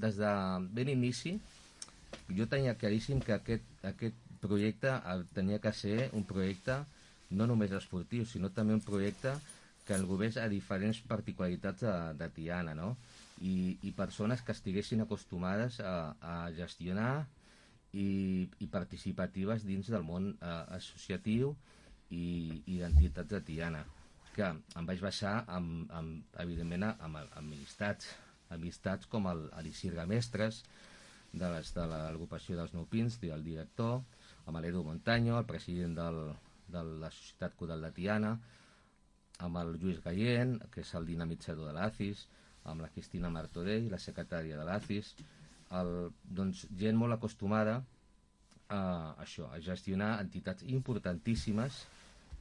des de ben inici, jo tenia claríssim que aquest projecte tenia que ser un projecte no només esportiu, sinó també un projecte que englobés a diferents particularitats de Tiana, no? I persones que estiguessin acostumades a gestionar i participatives dins del món associatiu i d'entitats de Tiana, que em vaig basar evidentment amb amistats com l'Isidre Gamestres de l'agrupació dels Nou Pins, el director, amb l'Edu Montaño, el president de la Societat Coral de Tiana, amb el Lluís Gallent, que és el dinamitzador de l'ACIS, amb la Cristina Martorell, la secretària de l'ACIS, doncs gent molt acostumada a això, a gestionar entitats importantíssimes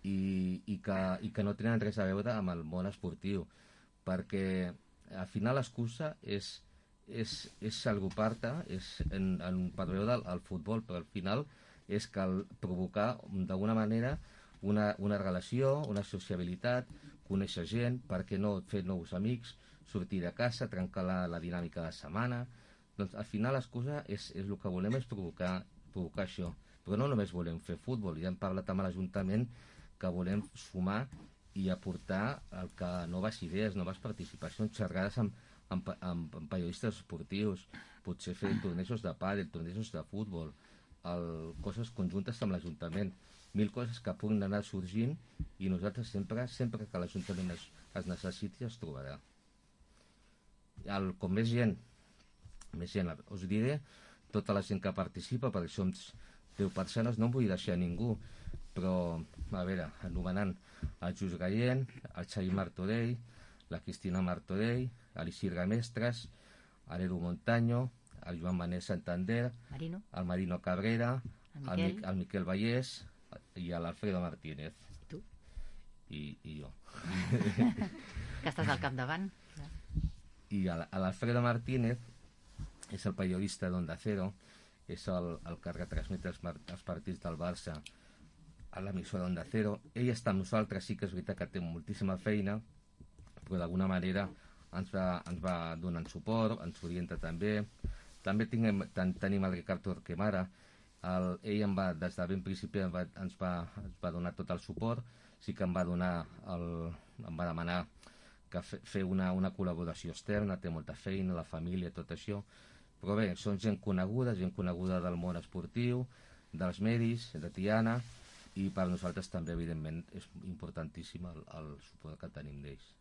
i que no tenen res a veure amb el món esportiu, perquè al final l'excusa és agrupar-te per veure el futbol, però al final és provocar d'alguna manera una relació, una sociabilitat, conèixer gent, per què no fer nous amics, sortir de casa, trencar la dinàmica de setmana. Doncs al final l'excusa és el que volem és provocar això, però no només volem fer futbol, ja hem parlat amb l'Ajuntament que volem sumar i aportar noves idees, noves participacions, xerrades amb periodistes esportius, potser fer tornejos de pàdel, tornejos de futbol, coses conjuntes amb l'Ajuntament, 1000 coses que puguin anar sorgint, i nosaltres sempre que l'Ajuntament es necessiti es trobarà. Com més gent, us diré tota la gent que participa, perquè som 10 persones, no em vull deixar ningú, però, a veure, anomenant el Just Gallent, el Xavi Martorell, la Cristina Martorell, l'Isidre Mestres, l'Edu Montaño, el Joan Manel Santander, el Marino Cabrera, el Miquel Vallès i l'Alfredo Martínez. I tu? I jo. Que estàs al capdavant. I l'Alfredo Martínez és el periodista d'Onda Cero, és el que retransmet els partits del Barça a l'emissora d'Onda Cero. Ell està amb nosaltres, sí que és veritat que té moltíssima feina, però d'alguna manera ens va donant suport, ens orienta també. També tenim el Ricard Torquemada. Ell des de ben principi ens va donar tot el suport. Sí que em va demanar que fer una col·laboració externa, té molta feina, la família, tot això. Però bé, són gent coneguda del món esportiu, dels medis, de Tiana, i per nosaltres també, evidentment, és importantíssim el suport que tenim d'ells.